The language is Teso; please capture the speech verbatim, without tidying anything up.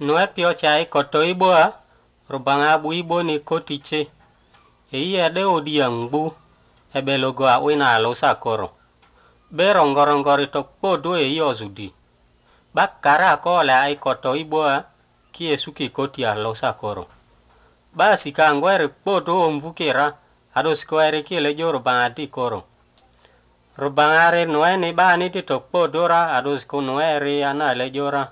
Nuɛ piɔc a i kɔtɔ ibo a, Rubaŋa a bu ibo ni koti ce. Eyi ɛdɛ odiɛŋ ŋbu, ɛbɛ logo a wina a lusa koro. Bɛ rɔŋgɔrɔŋgɔri tɔ kpodo eyi ɔzudi. Ba kara a kɔɔlɛ a i kɔtɔ ibo a, ki esuki koti a lusa koro. Ba sika ŋgwɛri kpodo omvukira, a do sikɔɛri ki lɛ jo Rubaŋa di koro. Rubaŋa ri nuɛ ni ba ni di tɔ kpodo ra, a do siku nuɛ ri ana lɛ jo ra.